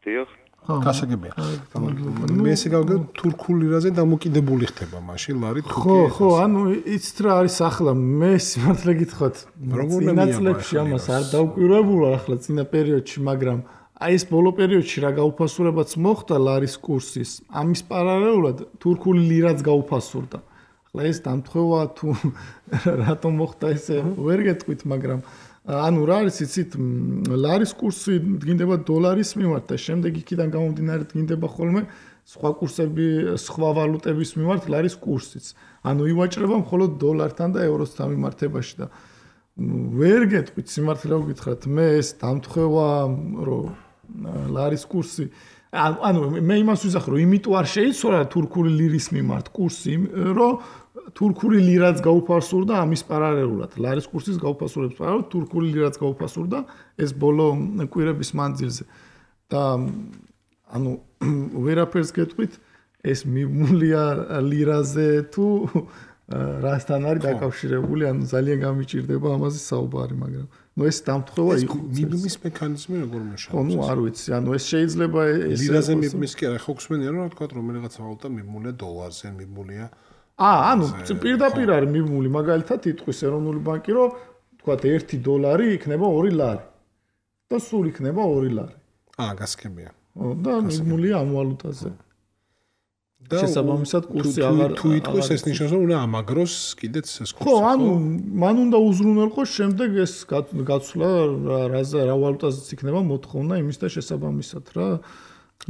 დიახ. გასაგებია. მე ესე გავიგე თურქულ ლირაზე დამოკიდებული ხდება მაშინ ლარი თურქი. ხო, ხო, ანუ იცით რა არის ახლა მე სიმართლე გითხრათ. წინა წლებში ამას არ დავკვირვებულა ახლა წინა პერიოდში, მაგრამ აი ეს ბოლო პერიოდში რა გაუფასურებაც მოხდა ლარის კურსის, ამის პარალელურად თურქული ლირაც გაუფასურდა. ახლა ეს დამთხევა თუ რატომ მოხდა ესე ვერ გეტყვით, მაგრამ ანუ რა არის იცით, ლარის კურსი დგინდება დოლარის მიმართ და შემდეგ იქიდან გამომდინარე დგინდება ხოლმე სხვა კურსები, სხვა ვალუტების მიმართ ლარის კურსიც. ანუ ივაჭრება მხოლოდ დოლართან და ევროსთან მიმართებაში და ვერ გეტყვით სიმართლე რა გითხრათ, მე ეს დამთხევა რომ ლარის კურსი ანუ მე იმას ვიზახ რომ იმიტომ არ შეიცვალა თურქული ლირის მიმართ კურსი, რომ თურქული ლირაც გაუფასურდა ამის პარალელურად. ლარის კურსის გაუფასურების პარალელურად თურქული ლირაც გაუფასურდა ეს ბოლო კვირების მანძილზე. და ანუ ვერაფერს გეტყვით, ეს მიმულია ლირაზე თუ რასთან არის დაკავშირებული, ანუ ძალიან გამიჭირდება ამაზე საუბარი, მაგრამ ნუ ეს დამთხევა იყო. მიბმის მექანიზმი როგორ მეშა? ხო, ნუ არ ვიცი, ანუ ეს შეიძლება ეს ლირაზე მიბმის კი არა, ხო გსმენია რომ თქვა რომ რაღაცა ვალუტა მიმულია დოლარზე, მიმულია. აა, ანუ პირდაპირ არის მიმული, მაგალითად იტყვის ეროვნული ბანკი, რომ თქვა ერთი დოლარი იქნება ორი ლარი. და სულ იქნება ორი ლარი. აა, გასქებია. და მიმულია ამ ვალუტაზე. და შესაბამისად კურსი აღარ თუ იტყვის ეს ნიშნავს რომ უნდა ამაგროს კიდეც ეს კურსი. ხო, ანუ მან უნდა უზრუნველყოს შემდეგ ეს გაცვლა რაზე რა ვალუტაზეც იქნება მოთხოვნა იმის და შესაბამისად რა.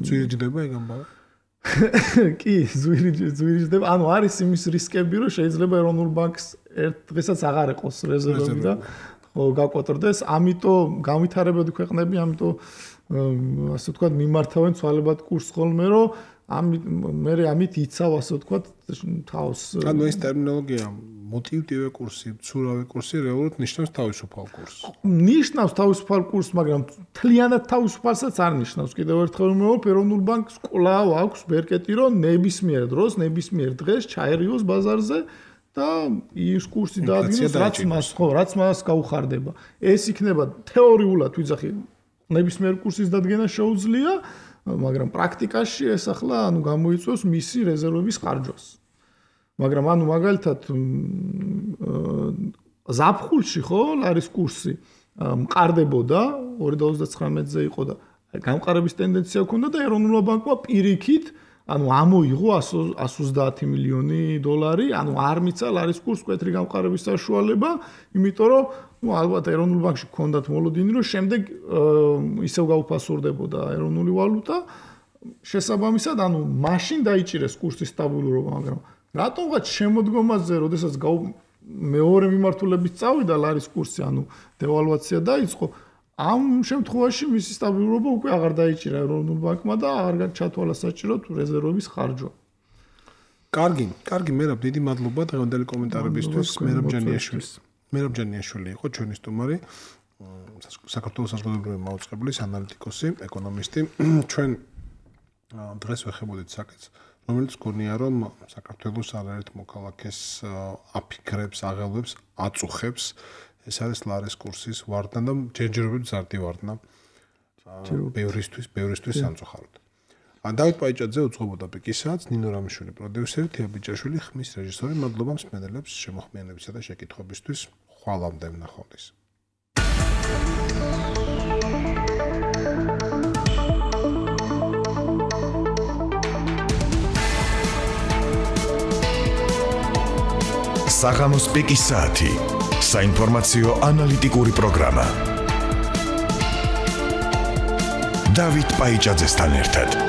ზვირიჯდება ეგ ამბავი? კი, ზვირიჯდება. ანუ არის იმის რისკები რომ შეიძლება ეროვნულ ბანკს ერთ დღესაც აღარ ეყოს რეზერვები და ხო გაკვოტრდეს, ამიტომ განვითარებადი ქვეყნები, ამიტომ ასე ვთქვათ მიმართავენ ცვალებად კურსს ხოლმე რომ ამით მე ამით იცავ ასე ვთქვათ თავს. ანუ ეს ტერმინოლოგია მოტივტივე კურსი, ცურავი კურსი რეალურად ნიშნავს თავისუფალ კურსს. ნიშნავს თავისუფალ კურსს, მაგრამ თლიანად თავისუფალსაც არ ნიშნავს. კიდევ ერთხელ ვიმეორებ, ეროვნულ ბანკს კვლავ აქვს ბერკეტი, რომ ნებისმიერ დროს, ნებისმიერ დღეს ჩაერიოს ბაზარზე და ის კურსი დაადგინოს, რაც მას ხო, რაც მას გაუხარდება. ეს იქნება თეორიულად ვიძახი, ნებისმიერ კურსის დადგენა შეუძლია. მაგრამ პრაქტიკაში ეს ახლა ანუ გამოიწვევს მისი რეზერვების ხარჯვას. მაგრამ ანუ მაგალითად ზაფხულში ხო ლარის კურსი მყარდებოდა ორი ათას ოცდათვრამეტზე იყო და გამყარების ტენდენცია ჰქონდა და ეროვნულმა ბანკმა პირიქით ანუ ამოიღო εκατს ოცდაათი მილიონი დოლარი, ანუ არ მიცა ლარის კურსს მკვეთრი გამყარების საშუალება, იმიტომ რომ ну ალბათ ეროვნულ ბანკში ჰქონდათ მოლოდინი რომ შემდეგ ისევ გაუფასურდებოდა ეროვნული ვალუტა შესაბამისად ანუ მაშინ დაიჭირეს კურსის სტაბილურობა, მაგრამ რატომღაც შემოდგომაზე როდესაც მეორე მიმართულებით წავიდა ლარის კურსი, ანუ დევალვაცია დაიწყო, ამ შემთხვევაში მისი სტაბილურობა უკვე აღარ დაიჭირა ეროვნულ ბანკმა და აღარ ჩათვალა საჭიროდ რეზერვების ხარჯვა. კარგი, კარგი, მერაბ, დიდი მადლობა დღევანდელი კომენტარებისთვის. მერაბ ჯანიაშვილი. მერაბ ჯანიაშვილი იყო ჩვენი სტუმარი, საქართველოს საზოგადოებრივი მაუწყებლის ანალიტიკოსი, ეკონომისტი. ჩვენ დღეს ვეხებოდით საკითხს, რომელიც გონია რომ საქართველოს არაერთ მოქალაქეს აფიქრებს, აღელვებს, აწუხებს. ეს არის ლარის კურსის ვარდნა და ჯერჯერობით ზარდი ვარდნა. ბევრისთვის, ბევრისთვის სამწუხაროდ. დავით პაიჭაძე უძღვებოდა პიკისაც, ნინო რამიშვილი პროდიუსერი, თია ბიჭაშვილი ხმის რეჟისორი. მადლობა მსმენელებს შემოხმიანებისა და შეკითხვებისთვის. ხვალამდე ვნახავდეს. საღამოს პიკისათი. საინფორმაციო ანალიტიკური პროგრამა. დავით პაიჭაძესთან ერთად.